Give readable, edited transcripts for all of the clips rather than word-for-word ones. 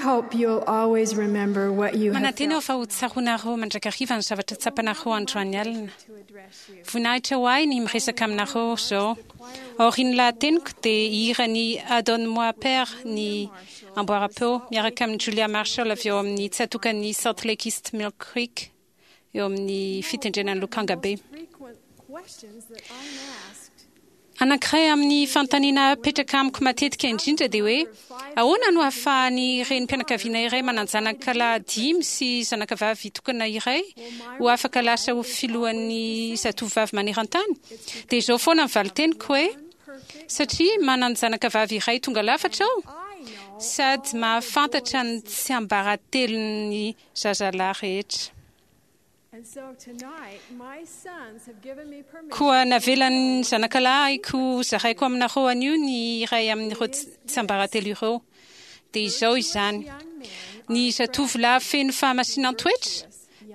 hope you'll always remember what you have Manantena aho felt fa ho tsaroanareo mandrakariva ny zavatra tsapanareo androany alina. to address you. Voninahitra ho ahy ny miresaka aminareo izao. Aorian'ny lahateniko dia hihira ny Adonne-moi Père ny amboaram-peo miaraka amin'i Julia Marshall avy ao amin'ny tsatòkan'i Salt Lake East Mill Creek eo amin'ny fitendrena ny lokanga be. Frequent questions that I'm asked Anankiray amin'ny fanontaniana apetraka amiko matetika indrindra dia hoe, Ahoana no ahafahan'ny renim-pianakaviana iray manan-janaka lahy dimy sy zanakavavy tokana iray ho afaka lasa ho filohan'ny Zatovovavy maneran-tany? Dia izao foana ny valin-teniko hoe, Satria manan-janakavavy iray tonga lafatra aho, sady mahafantatra ny tsiambaratelon'ny zazalahy rehetra. Koa navelan'ny zanakalahiko hozaraiko aminareo anio ny iray amin'ireo tsiambaratelo ireo. Dia izao izany, Ny zatovolahy feno fahamasinan-toetra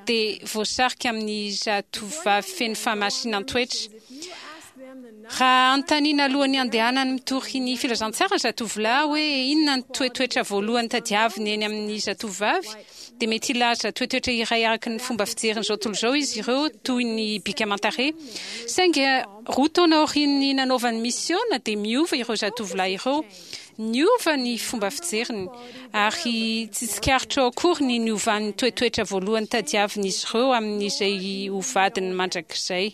dia voasarika amin'ny zatovovavy feno fahamasinan-toetra. Raha anontaniana alohan'ny handehanany mitory ny filazantsara ny zatovolahy hoe inona ny toetoetra voalohany tadiaviny eny amin'ny zatovovavy, dia mety hilaza toetoetra iray araka ny fomba fijerin'izao tontolo izao izy ireo, toy ny bika aman-tarehy. Saingy roa taona aorian'ny nanaovany misiona, dia miova ireo zatovolahy ireo. Niova ny fomba fijeriny, ary tsy tsikaritrao akory ny niovan'ny toetoetra voalohany tadiavin'izy ireo amin'izay ho vadiny mandrakizay.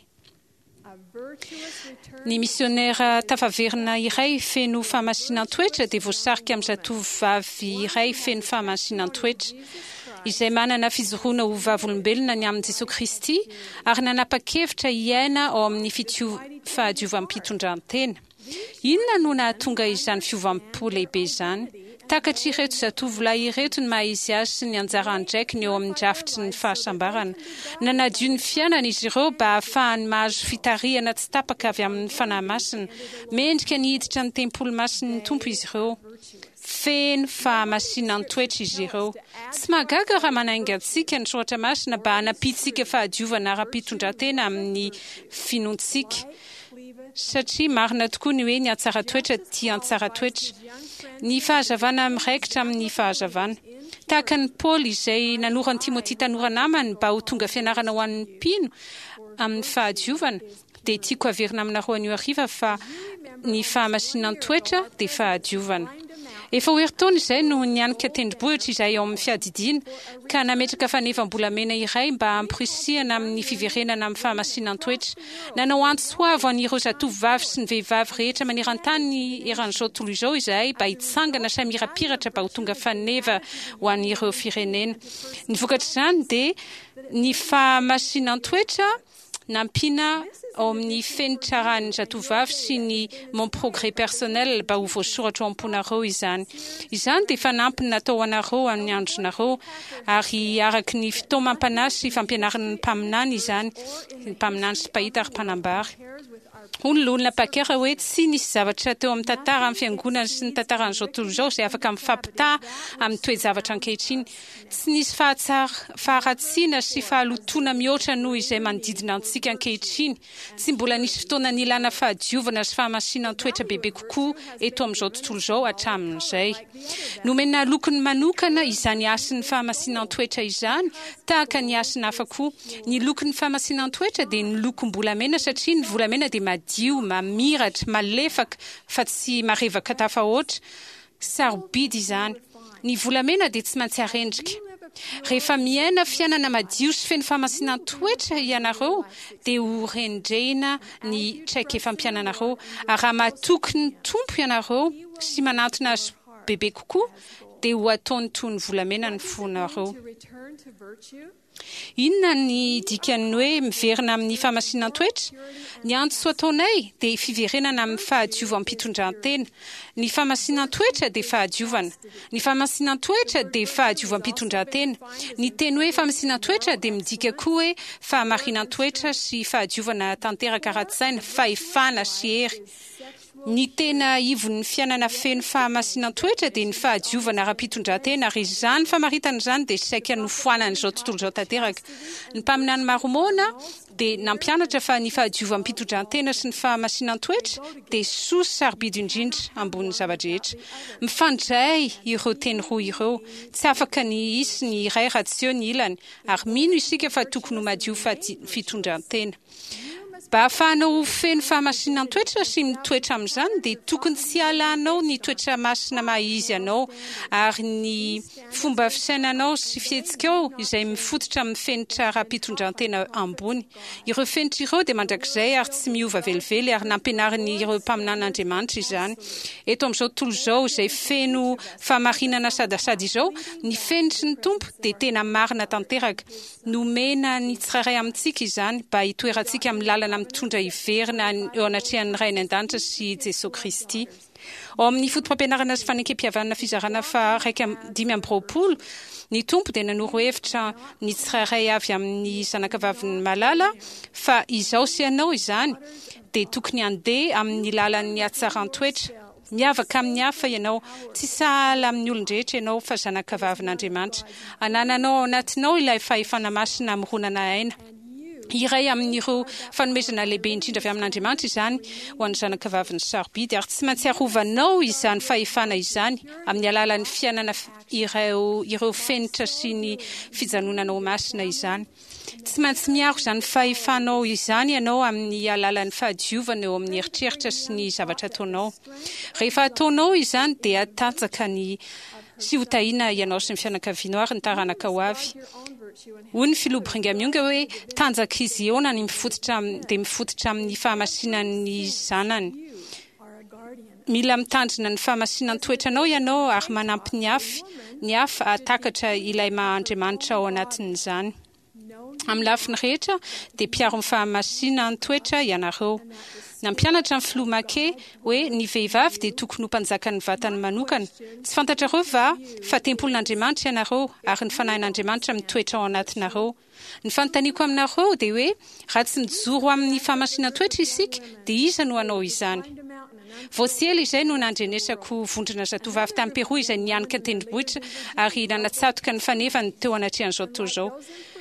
Ny misionera tafaverina iray feno fahamasinan-toetra dia voasarika amin'ny zatovovavy iray feno fahamasinan-toetra, izay manana fijoroana ho vavolombelona ny amin'i Jesoa Kristy ary nanapa-kevitra hiaina ao amin'ny fahadiovam-pitondran-tena. Inona no nahatonga izany fiovam-po lehibe izany? Takatr'ireto zatovolahy ireto ny maha-izy azy sy ny anjara andraikiny eo amin'ny drafitry ny fahasambarana. Nanadio ny fiainany izy ireo mba hahafahany mahazo fitarihana tsy tapaka avy amin'ny Fanahy Masina. Mendrika ny hiditra ny tempoly masin'ny Tompo izy ireo. Feno fahamasinan-toetra izy ireo. Tsy mahagaga raha manainga antsika ny Soratra Masina mba hanampiantsika fahadiovana ara-pitondrantena amin'ny finoantsika. Satria marina tokoa ny hoe ny hatsaran-toetra tia an-tsara-toetra. Ny fahazavana miraikitra amin'ny fahazavana. Tahaka an'i Paoly izay nanoro an'i Timoty tanora namany mba ho tonga fianarana ho an'ny mpino amin'ny fahadiovana, dia tiako haverina aminareo anio hariva fa ny fahamasinan-toetra dia fahadiovana. Efa ho herintaona izay no nianika tendrombohitra izahay ao amin'ny fiadidiana, ka nametraka fanevam-bolamena iray mba hamporisihana amin'ny fiverenana amin'ny fahamasinan-toetra. Nanao antso avo an'ireo zatovovavy sy ny vehivavy rehetra maneran-tany eran'izao tontolo izao izahay mba hitsangana sy hamirapiratra mba ho tonga faneva ho an'ireo firenena. Ny vokatr'izany dia ny fahamasinan-toetra nampiana ao amin'ny fenitra arahin'ny zatovovavy sy ny Mon progrès personnel mba ho voasoratra ao am-ponareo izany. Izany dia fanampiny natao ho anareo amin'ny andronareo, ary araka ny fitaomam-panahy sy fampianaran'ny mpaminany izany, ny mpaminany sy mpahita ary mpanambara. Hoy ny Loholona Packer hoe, Tsy nisy zavatra teo amin'ny tantaran'ny Fiangonana sy ny tantaran'izao tontolo izao izay afaka mifampitaha amin'ny toe-javatra ankehitriny. Tsy nisy faharatsiana sy fahalotoana mihoatra noho izay manodidina antsika ankehitriny. Tsy mbola nisy fotoana nilana fahadiovana sy fahamasinan-toetra bebe kokoa eto amin'izao tontolo izao hatramin'izay. Nomena lokony manokana izany hasin'ny fahamasinan-toetra izany, tahaka ny hasina hafa koa. Ny lokon'ny fahamasinan-toetra dia ny lokom-bolamena satria ny volamena dia madio, mamiratra, malefaka fa tsy marevaka tafahoatra. Sarobidy izany. Ny volamena dia tsy maintsy arendrika. Rehefa miaina fiainana madio sy feno fahamasinan-toetra ianareo dia ho rendrehina ny traikefam-piainanareo. Ary raha matoky ny Tompo ianareo sy manantona Azy bebe kokoa dia ho ataony toy ny volamena ny fonareo. Inona ny dikan'ny hoe miverina amin'ny fahamasinan-toetra? Ny antso ataonay dia fiverenana amin'ny fahadiovam-pitondrantena. Ny fahamasinan-toetra dia fahadiovana. Ny fahamasinan-toetra dia fahadiovam-pitondrantena. Ny teny hoe fahamasinan-toetra dia midika koa hoe fahamarinan-toetra sy fahadiovana tanteraka ara-tsaina, fahefana sy hery. Ny tena ivon'ny fiainana feno fahamasinan-toetra dia ny fahadiovana ara-pitondran-tena, ary izany famaritana izany dia saika nofoanan'izao tontolo izao tanteraka. Ny mpaminany Marmôna dia nampianatra fa ny fahadiovam-pitondran-tena sy ny fahamasinan-toetra dia soa sy sarobidy indrindra ambonin'ny zava-drehetra. Mifandray ireo teny roa ireo. Tsy afaka ny hisy ny iray raha tsy eo ny ilany, ary mino isika fa tokony ho madio fitondran-tena. Mba hahafahanao ho feno fahamasinan-toetra sy mitoetra amin'izany dia tokony tsy halanao ny toetra masina maha izy anao ary ny fomba fisainanao sy fihetsikao izay mifototra amin'ny fenitra ara-pitondran-tena ambony. Ireo fenitra ireo dia mandrakizay ary tsy miova velively ary nampianarin'ireo mpaminan'Andriamanitra izany. Eto amin'izao tontolo izao izay feno fahamarinana sadasada izao, ny fenitry ny Tompo dia tena marina tanteraka. Nomena ny tsirairay amintsika izany mba hitoerantsika amin'ny lalana mitondra hiverina eo anatrehan'ny Ray any An-danitra sy Jesoa Kristy. Ao amin'ny Fotopampianarana sy Fanekempihavanana fizarana faha 25, ny Tompo dia nanoro hevitra ny tsirairay avy amin'ny zanakavaviny malala fa izaho sy ianao izany dia tokony handeha amin'ny lalan'ny hatsaran-toetra. Miavaka amin'ny hafa ianao. Tsy sahala amin'ny olon-drehetra ianao, fa zanakavavin'Andriamanitra. Anananao ao anatinao ilay fahefana masina hamoronana aina. Iray amin'ireo fanomezana lehibe indrindra avy amin'Andriamanitra izany ho an'ny zanakavaviny sarobidy, ary tsy maintsy arovanao izany fahefana izany amin'ny alalan'ny fiainana ireo ireo fenitra sy ny fijanonana ho masina izany. Tsy maintsy miaro izany fahefanao izany ianao amin'ny alalan'ny fahadiovana eo amin'ny eritreritra sy ny zavatra ataonao. Rehefa ataonao izany dia hatanjaka ny sy ho tahiana ianao sy ny fianakavianao ary ny taranaka ho avy. Hoy ny Filoha Brigham Young hoe, Tanjak'i Ziona ny mifototra dia mifototra amin'ny fahamasinan'ny zanany. Mila mitandrina ny fahamasinan-toetranao ianao ary manampy ny hafa ny hafa hahatakatra ilay maha Andriamanitra ao anatin'izany. Amin'ny lafiny rehetra dia mpiaro ny fahamasinan-toetra ianareo. Nampianatra ny Filoha McKay hoe ny vehivavy dia tokony ho mpanjakan'ny vatany manokana. Tsy fantatrareo va fa tempolin'Andriamanitra ianareo ary ny Fanahin'Andriamanitra mitoetra ao anatinareo? Ny fanontaniako aminareo dia hoe, raha tsy mijoro amin'ny fahamasinan-toetra isika, dia iza no hanao izany? Vao tsy ela izay no nandrenesako vondrona zatovavy tany Peroa izay nianika an-tendrombohitra ary nanatsatoka ny fanevany teo anatrehan'izao tontolo izao.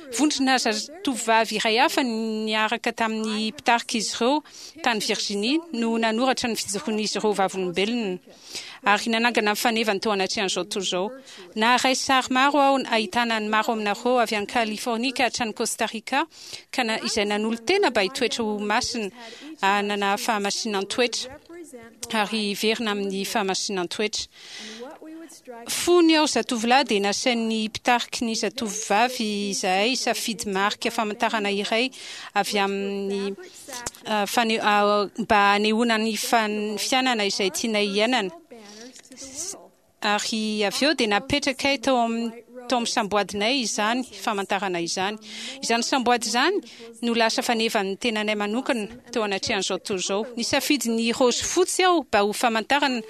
Vondrona zatovavy iray hafa niaraka tamin'ny mpitarika izy ireo tany Virginie no nanoratra ny fijoroan'izy ireo vavolombelona. ary nanangana ny fanevany teo anatrehan'izao tontolo izao. Naharay sary maro aho ahitana ny maro aminareo avy any Californie ka hatrany Costa Rica, ka na izay nanolo-tena mba hitoetra ho masina, hanana fahamasinan-toetra, ary hiverina amin'ny fahamasinan-toetra. Fony aho zatovolahy dia nasain'ny mpitariky ny zatovovavy izahay hisafidy marika famantarana iray avy amin'ny mba hanehoana ny fiainana izay tianay hiainana. Ary avy eo dia napetrakay tao amin'ny tao amin'ny samboadinay izany famantarana izany. Izany samboady izany no lasa fanevan'ny tenanay manokana teo anatrehan'izao tontolo izao. Nisafidy ny raozy fotsy aho mba ho famantarana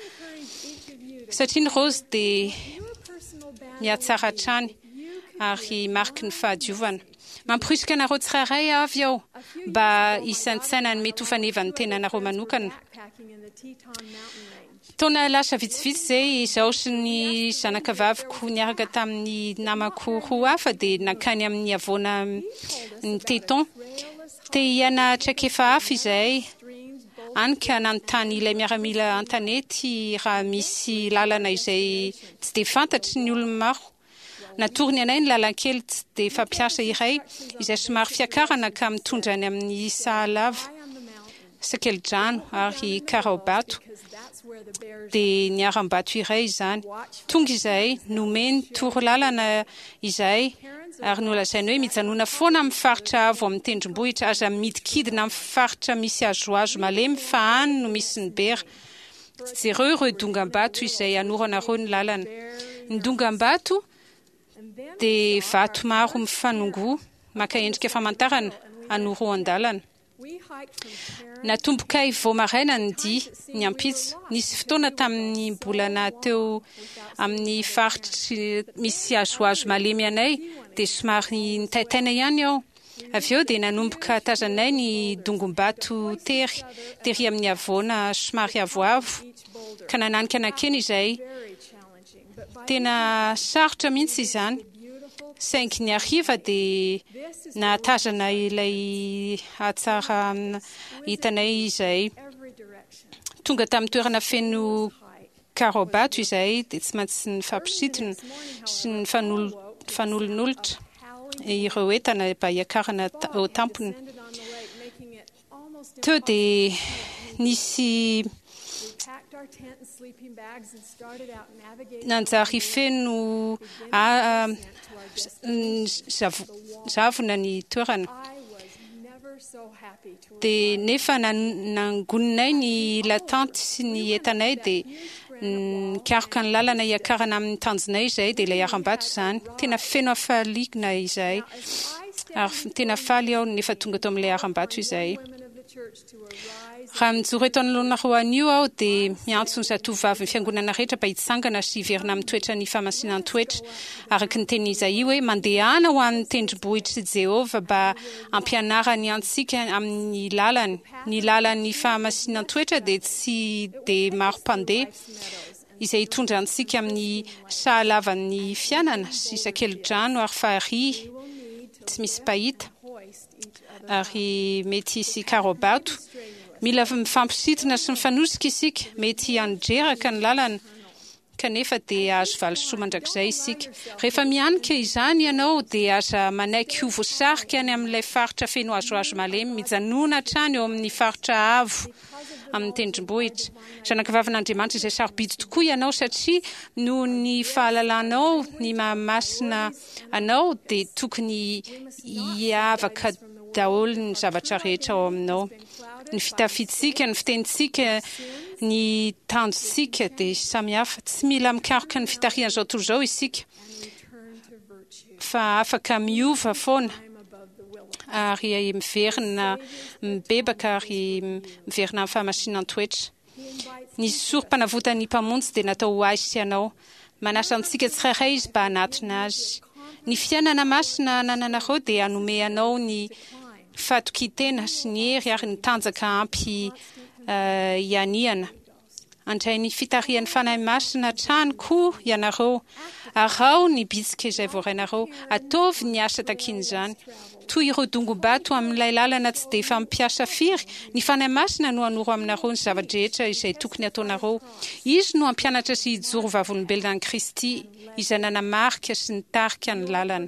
satria ny raozy dia mihatsara hatrany ary mariky ny fahadiovana. Mamporisika anareo tsirairay avy aho mba hisaintsaina ny mety ho fanevan'ny tenanareo manokana. Taona lasa vitsivitsy izay, izaho sy ny zanakavaviko niaraka tamin'ny namako roa hafa dia nankany amin'ny havoana ny Teton. Te hiaina traikefa hafa izahay, hany ka nanontany ilay miaramila an-tanety raha misy lalana izay tsy dia fantatry ny olona maro. Natorony anay ny lalan-kely tsy dia fampiasa iray izay somary fiakarana ka mitondra any amin'ny Sahalava, Sakelidrano ary Karaobato. Dia ny harambato iray izany. Tonga izahay, nomeny torolalana izahay ary nolazainy hoe mijanona foana amin'ny faritra avo amin'ny tendrombohitra, aza midikidina amin'ny faritra misy hazohazo malemy fa any no misy ny bera. Jereo ireo dongam-bato izay anoranareo ny lalana. Ny dongam-bato dia vato maro mifanongoa maka endrika famantarana anoroan-dalana. Natombokay vao maraina ny dia, ny ampitso. Nisy fotoana tamin'ny mbola naha teo amin'ny faritry misy hazohazo malemy anay dia somary nitaitaina ihany aho. Avy eo dia nanomboka tazanay ny dongom-bato tery, tery amin'ny havoana somary avoavo, ka nananika nankeny izahay. Tena sarotra mihitsy izany, saingy ny hariva dia nahatazana ilay hatsarana hitanay izahay. Tonga tamin'ny toerana feno karaobato izahay dia tsy maintsy nifampisintona sy nifanolonolotra ireo entana mba hiakarana eo tampony. Teo dia nisy nanjary feno zavona ny toerana. Dia nefa nangoninay ny latanty sy ny entanay dia nikaroka ny lalana hiakarana amin'ny tanjonay izahay dia ilay harambato izany. Tena feno hafaliana izahay ary tena faly aho nefa tonga tao amin'ilay harambato izahay. Raha mijoro eto anoloanareo anio aho dia miantso ny zatovovavin'ny Fiangonana rehetra mba hitsangana sy hiverina amin'ny toetran'ny fahamasinan-toetra, araka ny tenin'i Izaia hoe, Mandehana ho an'ny tendrombohitr'i Jehovah mba hampianarany antsika amin'ny lalany. Ny lalan'ny fahamasinan-toetra dia tsy dia maro mpandeha, izay hitondra antsika amin'ny sahalavan'ny fiainana sy sakeli-drano ary farihy tsy misy mpahita. Ary mety hisy karaobato. Mila mifampisintona sy mifanosika isika. Mety handreraka ny lalana, kanefa dia hahazo valisoa mandrakizay isika. Rehefa mihanika izany ianao, dia aza manaiky ho voasarika any amin'ilay faritra feno hazohazo malemy. Mijanòna hatrany eo amin'ny faritra avo amin'ny tendrombohitra. Zanakavavin'Andriamanitra izay sarobidy tokoa ianao, satria noho ny fahalalanao ny maha-masina anao dia tokony hiavaka daholo ny zavatra rehetra ao aminao. Ny fitafiantsika, ny fitenintsika, ny tanjontsika dia samy hafa. Tsy mila mikaroka ny fitarihan'izao tontolo izao isika fa afaka miova foana ary miverina mibebaka ary miverina amin'ny fahamasinan-toetra. Ny sorom-panavotan'ny Mpamonjy dia natao ho ahy sy anao. Manasa antsika tsirairay Izy mba hanatona Azy. Ny fiainana masina anananareo dia hanome anao ny fahatokian-tena sy ny hery ary ny tanjaka ampy hianihana. Handray ny fitarihan'ny Fanahy Masina hatrany koa ianareo. Araho ny bitsika izay voarainareo. Ataovy ny asa takian'izany. Toy ireo dongom-bato amin'ilay lalana tsy dia fampiasa firy, ny Fanahy Masina no hanoro aminareo ny zava-drehetra izay tokony hataonareo. Izy no hampianatra sy hijoro vavolombelona an'i Kristy, izay nanamarika sy nitarika ny lalana.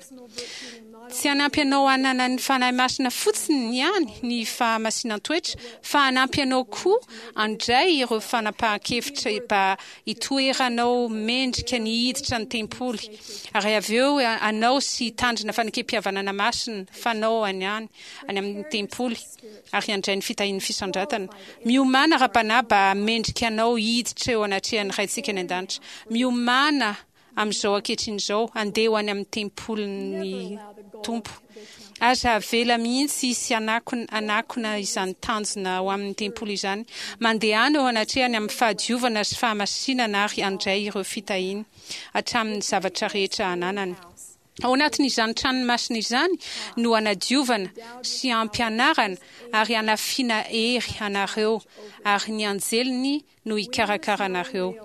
Tsy hanampy anao hanana ny Fanahy Masina fotsiny ihany ny fahamasinan-toetra, fa hanampy anao koa handray ireo fanapahan-kevitra mba hitoeranao mendrika ny hiditra ny tempoly, ary avy eo hanao sy hitandrina fanekempihavanana masina fanao any any any amin'ny tempoly, ary handray ny fitahian'ny fisandratana. Miomàna ara-panahy mba hahamendrika anao hiditra eo anatrehan'ny Raintsika any An-danitra. Miomàna amin'izao ankehitriny izao, handeha ho any amin'ny tempolin'ny Tompo. Aza avela mihitsy hisy hanakona hanakona izany tanjona ho amin'ny tempoly izany. Mandehana eo anatrehany amin'ny fahadiovana sy fahamasinana ary handray ireo fitahiany hatramin'ny zavatra rehetra ananany. Ao anatin'izany tranony masina izany no hanadiovana sy hampianarana ary hanafiana hery anareo ary ny anjeliny no hikarakara anareo.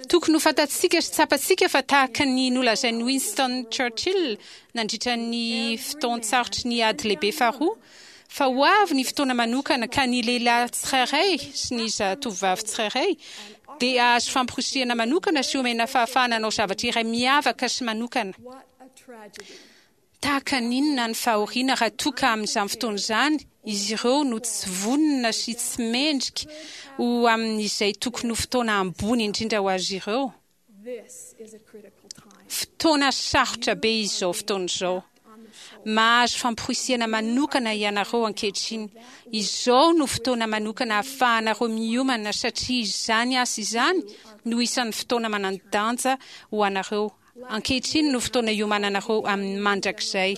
Tokony ho fantatsika sy tsapantsika fa tahaka ny nolazain'i Winston Churchill nandritra ny fotoan-tsarotry ny Ady Lehibe Faharoa, fa ho avy ny fotoana manokana ka ny lehilahy tsirairay sy ny zatovovavy tsirairay dia hahazo famporisihana manokana sy homena fahafahana hanao zavatra iray miavaka sy manokana. Tahaka ny inona ny fahoriana raha toa ka amin'izany fotoana izany izy ireo no tsy vonona sy tsy mendrika ho amin'izay tokony ho fotoana ambony indrindra ho azy ireo? Fotoana sarotra be izao fotoana izao. Mahazo famporisihana manokana ianareo ankehitriny. Izao no fotoana manokana ahafahanareo miomana satria izany asa izany no isan'ny fotoana manan-danja ho anareo. Ankehitriny no fotoana hiomananareo amin'ny mandrakizay.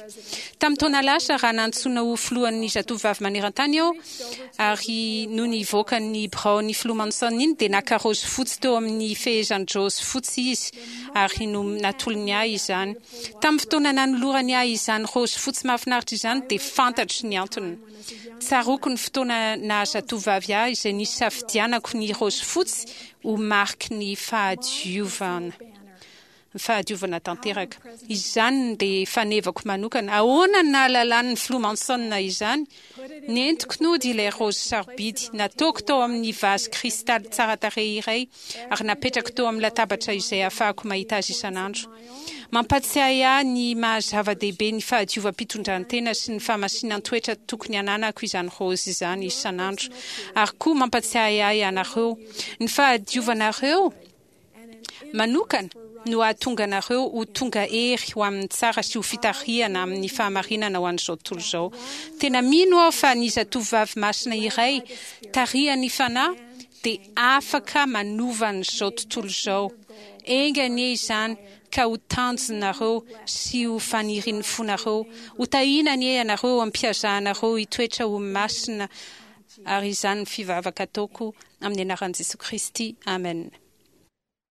Tamin'ny taona lasa, raha nantsoina ho filohan'ny Zatovovavy Maneran-tany aho, ary nony hivoaka ny biraon'ny Filoha Monson iny, dia naka raozy fotsy teo amin'ny fehezan-draozy fotsy izy, ary natolony ahy izany. Tamin'ny fotoana nanolorany ahy izany raozy fotsy mahafinaritra izany, dia fantatro ny antony. Tsaroako ny fotoana naha-zatovovavy ahy izay nisafidianako ny raozy fotsy ho mariky ny fahadiovana. Ny fahadiovana tanteraka. Izany dia fanevako manokana. Ahoana no nahalalan'ny Filoha Monson izany? Nentiko nody ilay raozy sarobidy. Nataoko tao amin'ny vazy kristaly tsara tarehy iray ary napetrako teo amin'ny latabatra izay ahafahako mahita azy isan'andro. Mampatsiahy ahy ny maha-zava-dehibe ny fahadiovam-pitondrantena sy ny fahamasinan-toetra tokony hananako izany raozy izany isan'andro. Ary koa mampatsiahy ahy anareo. Ny fahadiovanareo. manokana no hahatonga anareo ho tonga hery ho amin'ny tsara sy ho fitarihana amin'ny fahamarinana ho an'izao tontolo izao. Tena mino aho fa ny zatovovavy masina iray tarihan'ny Fanahy dia afaka manova an'izao tontolo izao. Enga anie izany ka ho tanjonareo sy ho fanirian'ny fonareo. Ho tahiana anie ianareo eo am-piazahanareo hitoetra ho masina ary izany ny fivavaka ataoko amin'ny anaran'i Jesoa Kristy. Amen.